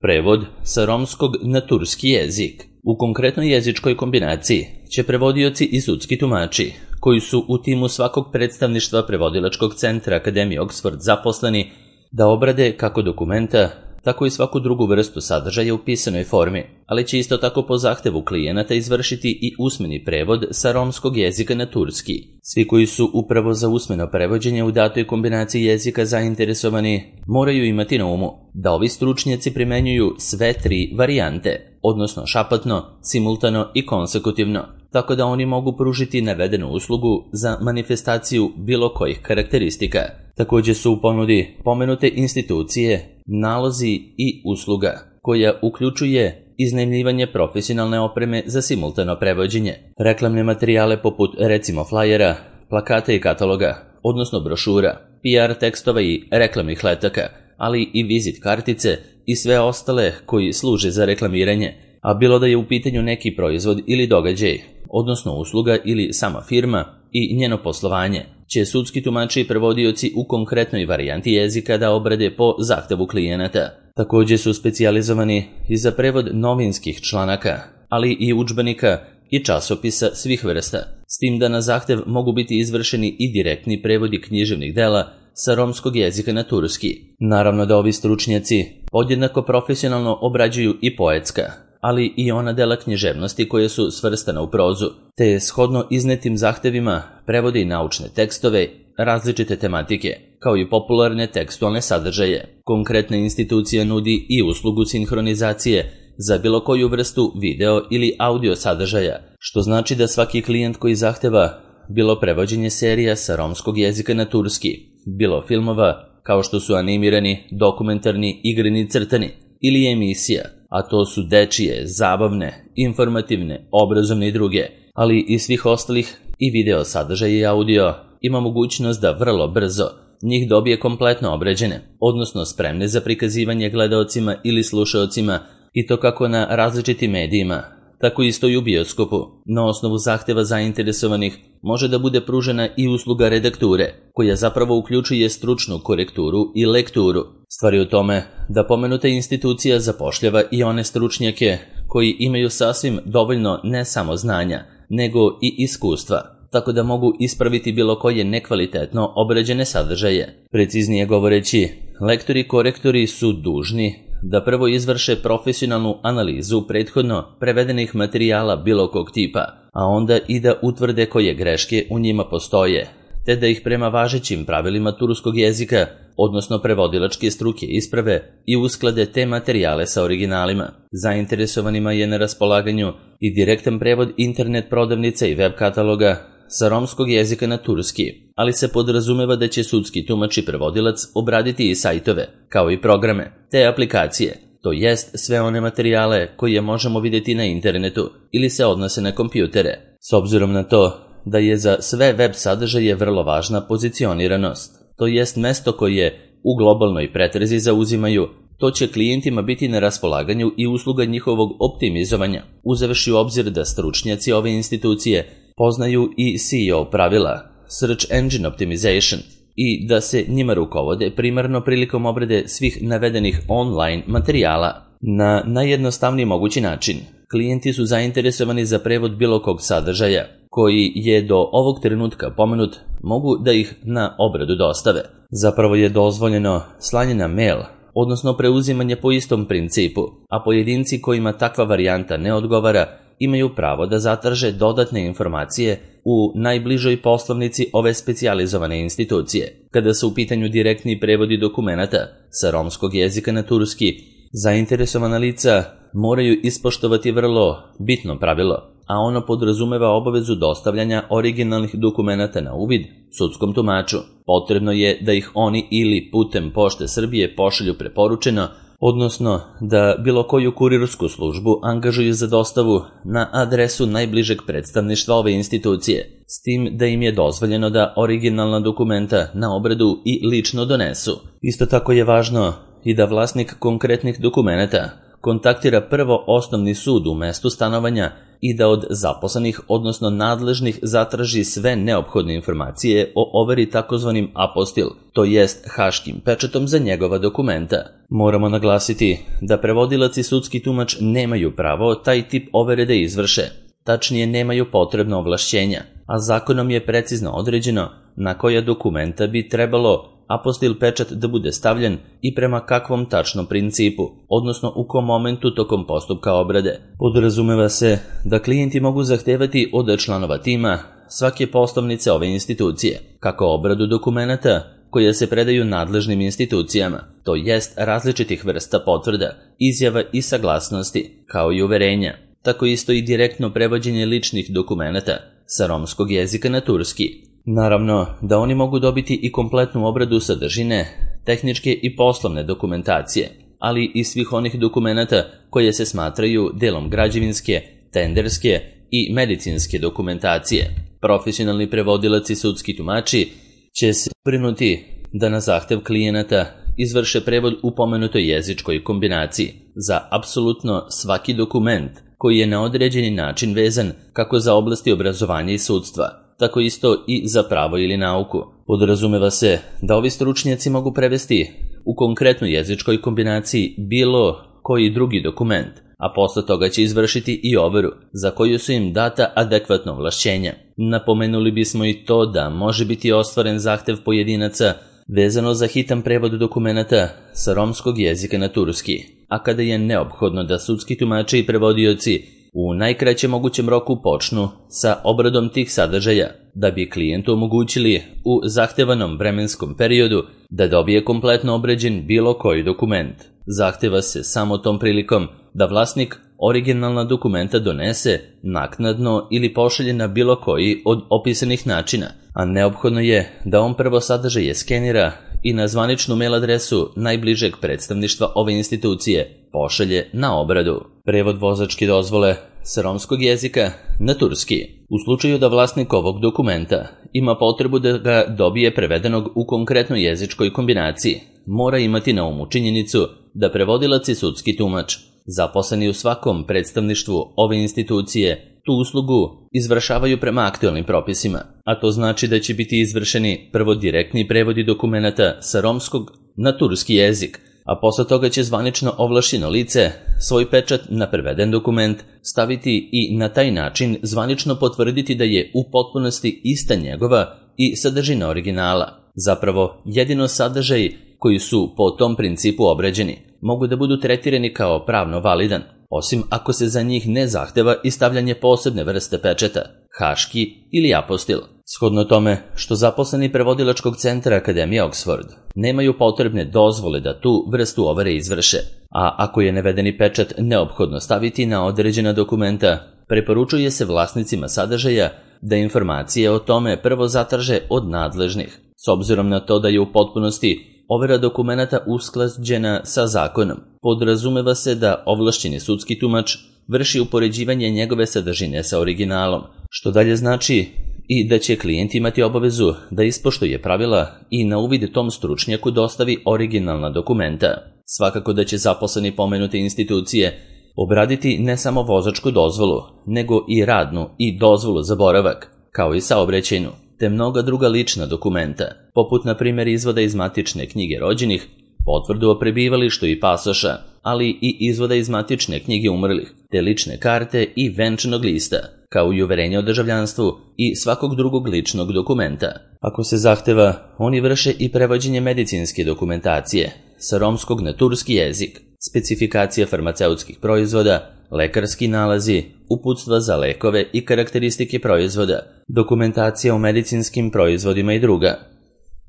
Prevod sa romskog na turski jezik. U konkretnoj jezičkoj kombinaciji će prevodioci i sudski tumači, koji su u timu svakog predstavništva prevodilačkog centra Akademije Oxford zaposleni, da obrade kako dokumenta, tako i svaku drugu vrstu sadržaja u pisanoj formi, ali će isto tako po zahtevu klijenata izvršiti i usmeni prevod sa romskog jezika na turski. Svi koji su upravo za usmeno prevođenje u datoj kombinaciji jezika zainteresovani moraju imati na umu da ovi stručnjaci primenjuju sve tri varijante, odnosno šapatno, simultano i konsekutivno, tako da oni mogu pružiti navedenu uslugu za manifestaciju bilo kojih karakteristika. Također su u ponudi pomenute institucije, nalozi i usluga, koja uključuje iznajmljivanje profesionalne opreme za simultano prevođenje, reklamne materijale poput recimo flajera, plakata i kataloga, odnosno brošura, PR tekstova i reklamnih letaka, ali i vizit kartice i sve ostale koji služe za reklamiranje, a bilo da je u pitanju neki proizvod ili događaj, odnosno usluga ili sama firma i njeno poslovanje, će sudski tumači i prevodioci u konkretnoj varijanti jezika da obrade po zahtevu klijenata. Također su specijalizovani i za prevod novinskih članaka, ali i udžbenika i časopisa svih vrsta, s tim da na zahtev mogu biti izvršeni i direktni prevodi književnih dela sa romskog jezika na turski. Naravno da ovi stručnjaci podjednako profesionalno obrađuju i poetska, ali i ona dela književnosti koje su svrstana u prozu, te je shodno iznetim zahtevima prevode i naučne tekstove, različite tematike, kao i popularne tekstualne sadržaje. Konkretna institucija nudi i uslugu sinhronizacije za bilo koju vrstu video ili audio sadržaja, što znači da svaki klijent koji zahteva bilo prevođenje serija sa romskog jezika na turski, bilo filmova, kao što su animirani, dokumentarni, igrani, crtani, ili emisija, a to su dečije, zabavne, informativne, obrazovne i druge, ali i svih ostalih i video sadržaja i audio, ima mogućnost da vrlo brzo njih dobije kompletno obrađene, odnosno spremne za prikazivanje gledaocima ili slušaocima, i to kako na različitim medijima, tako isto i u bioskopu. Na osnovu zahteva zainteresovanih može da bude pružena i usluga redakture, koja zapravo uključuje stručnu korekturu i lekturu. Stvar je u tome da pomenuta institucija zapošljava i one stručnjake koji imaju sasvim dovoljno ne samo znanja, nego i iskustva, tako da mogu ispraviti bilo koje nekvalitetno obrađene sadržaje. Preciznije govoreći, lektori i korektori su dužni da prvo izvrše profesionalnu analizu prethodno prevedenih materijala bilo kog tipa, a onda i da utvrde koje greške u njima postoje, te da ih prema važećim pravilima turskog jezika, odnosno prevodilačke struke, isprave i usklade te materijale sa originalima. Zainteresovanima je na raspolaganju i direktan prevod internet prodavnica i web kataloga sa romskog jezika na turski, ali se podrazumeva da će sudski tumač i prevodilac obraditi i sajtove, kao i programe, te aplikacije, to jest sve one materijale koje možemo vidjeti na internetu ili se odnose na kompjutere. S obzirom na to da je za sve web sadržaje vrlo važna pozicioniranost, to jest mesto koje u globalnoj pretrezi zauzimaju, to će klijentima biti na raspolaganju i usluga njihovog optimizovanja, uzevši u obzir da stručnjaci ove institucije poznaju i SEO pravila, Search Engine Optimization, i da se njima rukovode primarno prilikom obrade svih navedenih online materijala. Na najjednostavniji mogući način, klijenti su zainteresovani za prevod bilo kog sadržaja, koji je do ovog trenutka pomenut, mogu da ih na obradu dostave. Zapravo je dozvoljeno slanje na mail, odnosno preuzimanje po istom principu, a pojedinci kojima takva varijanta ne odgovara imaju pravo da zatraže dodatne informacije u najbližoj poslovnici ove specijalizovane institucije. Kada su u pitanju direktni prevodi dokumenata sa romskog jezika na turski, zainteresovana lica moraju ispoštovati vrlo bitno pravilo, a ono podrazumeva obavezu dostavljanja originalnih dokumenata na uvid sudskom tumaču. Potrebno je da ih oni ili putem Pošte Srbije pošalju preporučeno, odnosno da bilo koju kurirsku službu angažuju za dostavu na adresu najbližeg predstavništva ove institucije, s tim da im je dozvoljeno da originalna dokumenta na obradu i lično donesu. Isto tako je važno i da vlasnik konkretnih dokumenata kontaktira prvo osnovni sud u mestu stanovanja i da od zaposlenih, odnosno nadležnih, zatraži sve neophodne informacije o overi takozvanim apostil, to jest haškim pečatom za njegova dokumenta. Moramo naglasiti da prevodilac i sudski tumač nemaju pravo taj tip overe da izvrše, tačnije nemaju potrebna ovlašćenja, a zakonom je precizno određeno na koja dokumenta bi trebalo apostil pečat da bude stavljen i prema kakvom tačnom principu, odnosno u kom momentu tokom postupka obrade. Podrazumeva se da klijenti mogu zahtevati od članova tima svake poslovnice ove institucije, kako obradu dokumenata koje se predaju nadležnim institucijama, to jest različitih vrsta potvrda, izjava i saglasnosti, kao i uverenja, tako isto i direktno prevođenje ličnih dokumenata sa romskog jezika na turski. Naravno da oni mogu dobiti i kompletnu obradu sadržine, tehničke i poslovne dokumentacije, ali i svih onih dokumenata koje se smatraju delom građevinske, tenderske i medicinske dokumentacije. Profesionalni prevodilac i sudski tumači će se brinuti da na zahtev klijenata izvrše prevod u pomenutoj jezičkoj kombinaciji za apsolutno svaki dokument koji je na određeni način vezan kako za oblasti obrazovanja i sudstva, tako isto i za pravo ili nauku. Podrazumeva se da ovi stručnjaci mogu prevesti u konkretnoj jezičkoj kombinaciji bilo koji drugi dokument, a posle toga će izvršiti i overu za koju su im data adekvatna ovlašćenja. Napomenuli bismo i to da može biti ostvaren zahtev pojedinaca vezano za hitan prevod dokumenata sa romskog jezika na turski, a kada je neophodno da sudski tumači i prevodioci u najkraćem mogućem roku počnu sa obradom tih sadržaja, da bi klijentu omogućili u zahtevanom vremenskom periodu da dobije kompletno obrađen bilo koji dokument. Zahteva se samo tom prilikom da vlasnik originalna dokumenta donese naknadno ili pošalje na bilo koji od opisanih načina, a neophodno je da on prvo sadržaje skenira i na zvaničnu mail adresu najbližeg predstavništva ove institucije pošalje na obradu. Prevod vozačke dozvole sa romskog jezika na turski. U slučaju da vlasnik ovog dokumenta ima potrebu da ga dobije prevedenog u konkretnoj jezičkoj kombinaciji, mora imati na umu činjenicu da prevodilac i sudski tumač, zaposleni u svakom predstavništvu ove institucije, tu uslugu izvršavaju prema aktualnim propisima, a to znači da će biti izvršeni prvo direktni prevodi dokumenata sa romskog na turski jezik, a posle toga će zvanično ovlašćeno lice svoj pečat na preveden dokument staviti i na taj način zvanično potvrditi da je u potpunosti ista njegova i sadržina originala. Zapravo, jedino sadržaj koji su po tom principu obrađeni mogu da budu tretirani kao pravno validan, osim ako se za njih ne zahteva i stavljanje posebne vrste pečata, haški ili apostil. Shodno tome što zaposleni prevodilačkog centra Akademije Oxford nemaju potrebne dozvole da tu vrstu overe izvrše, a ako je navedeni pečat neophodno staviti na određena dokumenta, preporučuje se vlasnicima sadržaja da informacije o tome prvo zatraže od nadležnih, s obzirom na to da je u potpunosti overa dokumenata usklađena sa zakonom. Podrazumeva se da ovlašćeni sudski tumač vrši upoređivanje njegove sadržine sa originalom, što dalje znači i da će klijent imati obavezu da ispoštuje pravila i na uvid tom stručnjaku dostavi originalna dokumenta. Svakako da će zaposleni pomenute institucije obraditi ne samo vozačku dozvolu, nego i radnu i dozvolu za boravak, kao i saobraćajnu, te mnoga druga lična dokumenta, poput na primjer izvoda iz matične knjige rođenih, potvrdu o prebivalištu i pasoša, ali i izvoda iz matične knjige umrlih, te lične karte i venčanog lista, kao i uverenje o državljanstvu i svakog drugog ličnog dokumenta. Ako se zahteva, oni vrše i prevođenje medicinske dokumentacije sa romskog na turski jezik, specifikacija farmaceutskih proizvoda, lekarski nalazi, uputstva za lekove i karakteristike proizvoda, dokumentacija o medicinskim proizvodima i druga.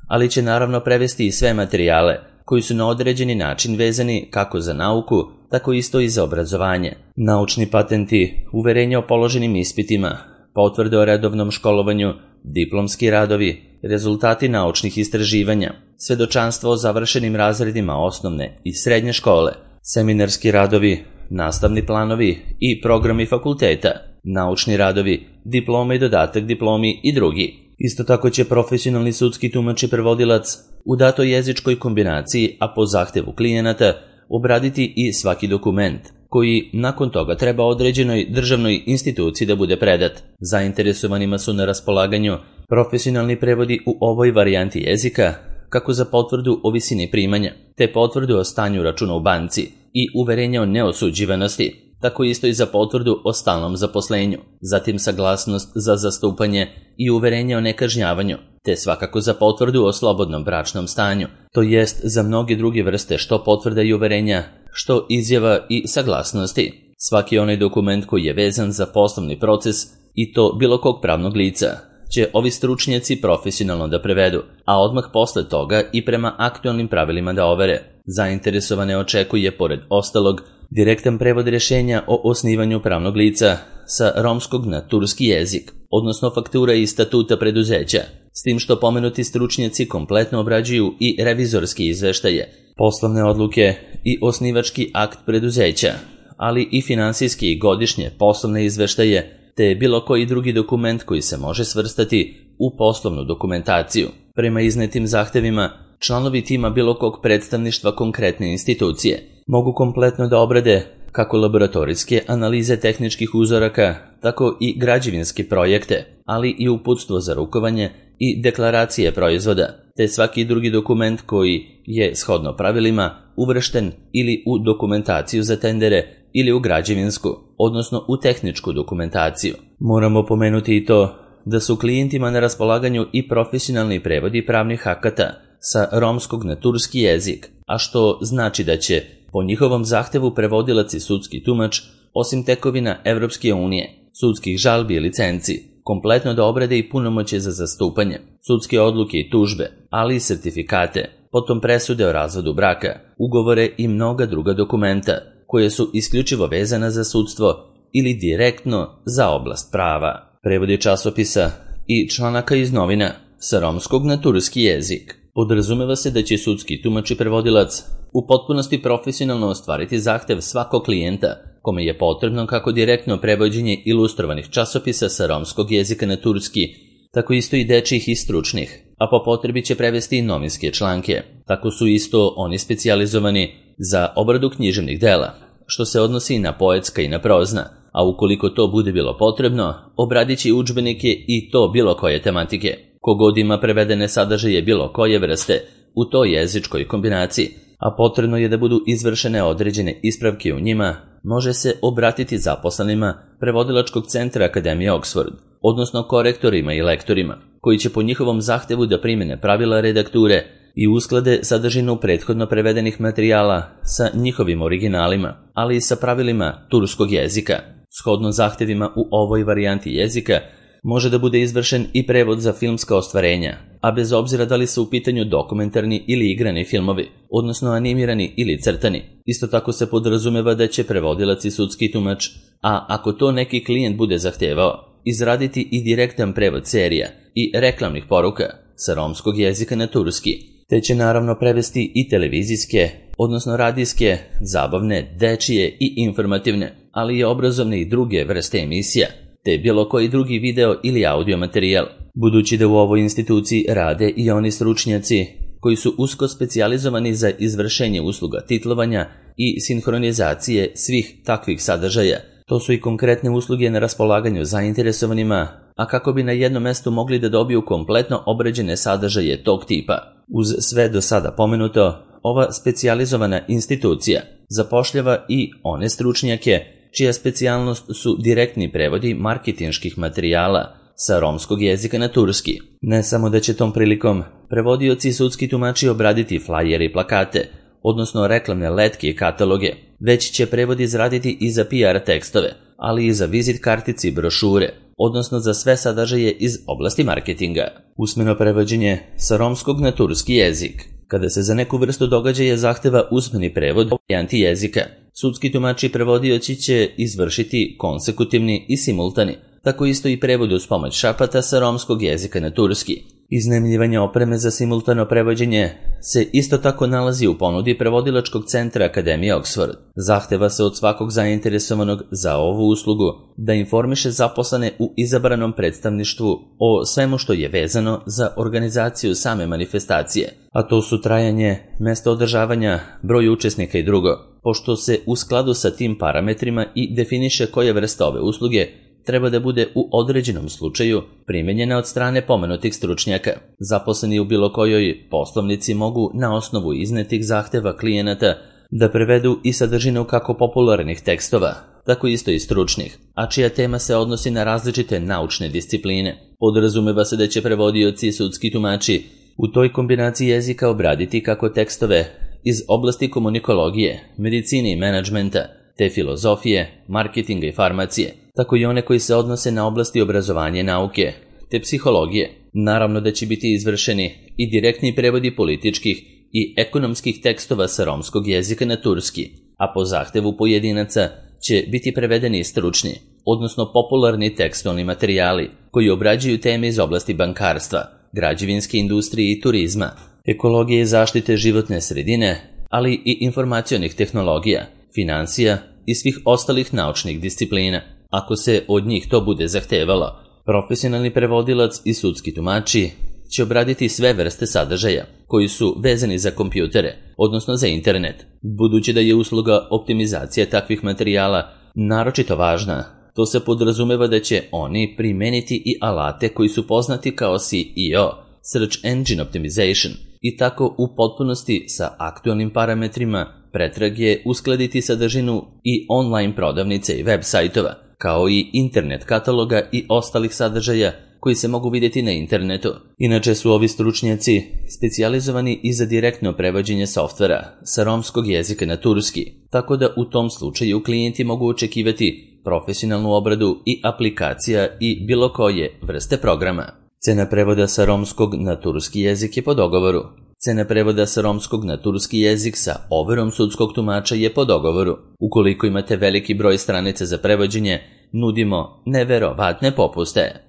Ali će naravno prevesti i sve materijale koji su na određeni način vezani kako za nauku, tako isto i za obrazovanje. Naučni patenti, uverenja o položenim ispitima, potvrde o redovnom školovanju, diplomski radovi, rezultati naučnih istraživanja, svedočanstvo o završenim razredima osnovne i srednje škole, seminarski radovi, nastavni planovi i programi fakulteta, naučni radovi, diplome i dodatak diplomi i drugi. Isto tako će profesionalni sudski tumač i prevodilac u datoj jezičkoj kombinaciji, a po zahtevu klijenata, obraditi i svaki dokument koji nakon toga treba određenoj državnoj instituciji da bude predat. Zainteresovanima su na raspolaganju profesionalni prevodi u ovoj varijanti jezika, kako za potvrdu o visini primanja, te potvrdu o stanju računa u banci i uverenja o neosuđivanosti, tako isto i za potvrdu o stalnom zaposlenju, zatim saglasnost za zastupanje i uverenje o nekažnjavanju, te svakako za potvrdu o slobodnom bračnom stanju, to jest za mnoge druge vrste što potvrda i uverenja, što izjava i saglasnosti. Svaki onaj dokument koji je vezan za poslovni proces i to bilo kog pravnog lica će ovi stručnjaci profesionalno da prevedu, a odmah posle toga i prema aktualnim pravilima da overe. Zainteresovane očekuje, pored ostalog, direktan prevod rješenja o osnivanju pravnog lica sa romskog na turski jezik, odnosno faktura i statuta preduzeća, s tim što pomenuti stručnjaci kompletno obrađuju i revizorski izveštaje, poslovne odluke i osnivački akt preduzeća, ali i finansijski i godišnje poslovne izveštaje, te bilo koji drugi dokument koji se može svrstati u poslovnu dokumentaciju. Prema iznetim zahtevima, članovi tima bilo kog predstavništva konkretne institucije mogu kompletno da obrade kako laboratorijske analize tehničkih uzoraka, tako i građevinske projekte, ali i uputstvo za rukovanje i deklaracije proizvoda, te svaki drugi dokument koji je shodno pravilima uvršten ili u dokumentaciju za tendere ili u građevinsku, odnosno u tehničku dokumentaciju. Moramo pomenuti i to da su klijentima na raspolaganju i profesionalni prevodi pravnih akata sa romskog na turski jezik, a što znači da će po njihovom zahtevu prevodilac i sudski tumač, osim tekovina Evropske unije, sudskih žalbi i licenci, kompletno da obrade i punomoćje za zastupanje, sudske odluke i tužbe, ali i sertifikate, potom presude o razvodu braka, ugovore i mnoga druga dokumenta, koje su isključivo vezana za sudstvo ili direktno za oblast prava. Prevodi časopisa i članaka iz novina sa romskog na turski jezik. Podrazumeva se da će sudski tumač i prevodilac u potpunosti profesionalno ostvariti zahtev svakog klijenta kome je potrebno kako direktno prevođenje ilustrovanih časopisa sa romskog jezika na turski, tako isto i dečjih i stručnih, a po potrebi će prevesti i novinske članke. Tako su isto oni specijalizovani za obradu književnih dela, što se odnosi i na poetska i na prozna, a ukoliko to bude bilo potrebno, obradit će udžbenike i to bilo koje tematike. Kogod ima prevedene sadržaje bilo koje vrste u toj jezičkoj kombinaciji, a potrebno je da budu izvršene određene ispravke u njima, može se obratiti zaposlenima prevodilačkog centra Akademije Oxford, odnosno korektorima i lektorima, koji će po njihovom zahtevu da primene pravila redakture i usklade sadržinu prethodno prevedenih materijala sa njihovim originalima, ali i sa pravilima turskog jezika. Shodno zahtevima u ovoj varijanti jezika može da bude izvršen i prevod za filmska ostvarenja, a bez obzira da li su u pitanju dokumentarni ili igrani filmovi, odnosno animirani ili crtani. Isto tako se podrazumeva da će prevodilac i sudski tumač, a ako to neki klijent bude zahtevao, izraditi i direktan prevod serija i reklamnih poruka sa romskog jezika na turski, te će naravno prevesti i televizijske, odnosno radijske, zabavne, dečije i informativne, ali i obrazovne i druge vrste emisija, te bilo koji drugi video ili audio materijal, budući da u ovoj instituciji rade i oni stručnjaci koji su usko specijalizovani za izvršenje usluga titlovanja i sinhronizacije svih takvih sadržaja. To su i konkretne usluge na raspolaganju zainteresovanima, a kako bi na jednom mestu mogli da dobiju kompletno obrađene sadržaje tog tipa. Uz sve do sada pomenuto, ova specijalizovana institucija zapošljava i one stručnjake čija specijalnost su direktni prevodi marketinških materijala sa romskog jezika na turski. Ne samo da će tom prilikom prevodioci i sudski tumači obraditi flajere i plakate, odnosno reklamne letke i kataloge, već će prevod izraditi i za PR tekstove, ali i za vizit kartici i brošure, odnosno za sve sadržaje iz oblasti marketinga. Usmeno prevođenje sa romskog na turski jezik. Kada se za neku vrstu događaja zahteva usmeni prevod varijanti jezika, sudski tumači i prevodioci će izvršiti konsekutivni i simultani, tako isto i prevod uz pomoć šapata sa romskog jezika na turski. Iznajmljivanje opreme za simultano prevođenje se isto tako nalazi u ponudi prevodilačkog centra Akademije Oxford. Zahteva se od svakog zainteresovanog za ovu uslugu da informiše zaposlene u izabranom predstavništvu o svemu što je vezano za organizaciju same manifestacije, a to su trajanje, mesto održavanja, broj učesnika i drugo. Pošto se u skladu sa tim parametrima i definiše koje vrste ove usluge treba da bude u određenom slučaju primenjena od strane pomenutih stručnjaka. Zaposleni u bilo kojoj poslovnici mogu na osnovu iznetih zahteva klijenata da prevedu i sadržinu kako popularnih tekstova, tako isto i stručnih, a čija tema se odnosi na različite naučne discipline. Podrazumeva se da će prevodioci i sudski tumači u toj kombinaciji jezika obraditi kako tekstove iz oblasti komunikologije, medicine i menadžmenta, te filozofije, marketinga i farmacije, tako i one koji se odnose na oblasti obrazovanja i nauke, te psihologije. Naravno da će biti izvršeni i direktni prevodi političkih i ekonomskih tekstova sa romskog jezika na turski, a po zahtevu pojedinaca će biti prevedeni i stručni, odnosno popularni tekstualni materijali koji obrađuju teme iz oblasti bankarstva, građevinske industrije i turizma, ekologije i zaštite životne sredine, ali i informacionih tehnologija, finansija i svih ostalih naučnih disciplina. Ako se od njih to bude zahtevalo, profesionalni prevodilac i sudski tumači će obraditi sve vrste sadržaja koji su vezani za kompjutere, odnosno za internet. Budući da je usluga optimizacije takvih materijala naročito važna, to se podrazumeva da će oni primeniti i alate koji su poznati kao SEO, Search Engine Optimization, i tako u potpunosti sa aktualnim parametrima pretrage uskladiti sadržinu i online prodavnice i web sajtova, kao i internet kataloga i ostalih sadržaja koji se mogu vidjeti na internetu. Inače su ovi stručnjaci specijalizovani i za direktno prevođenje softvera sa romskog jezika na turski, tako da u tom slučaju klijenti mogu očekivati profesionalnu obradu i aplikacija i bilo koje vrste programa. Cena prevoda sa romskog na turski jezik je po dogovoru. Cena prevoda sa romskog na turski jezik sa overom sudskog tumača je po dogovoru. Ukoliko imate veliki broj stranica za prevođenje, nudimo neverovatne popuste.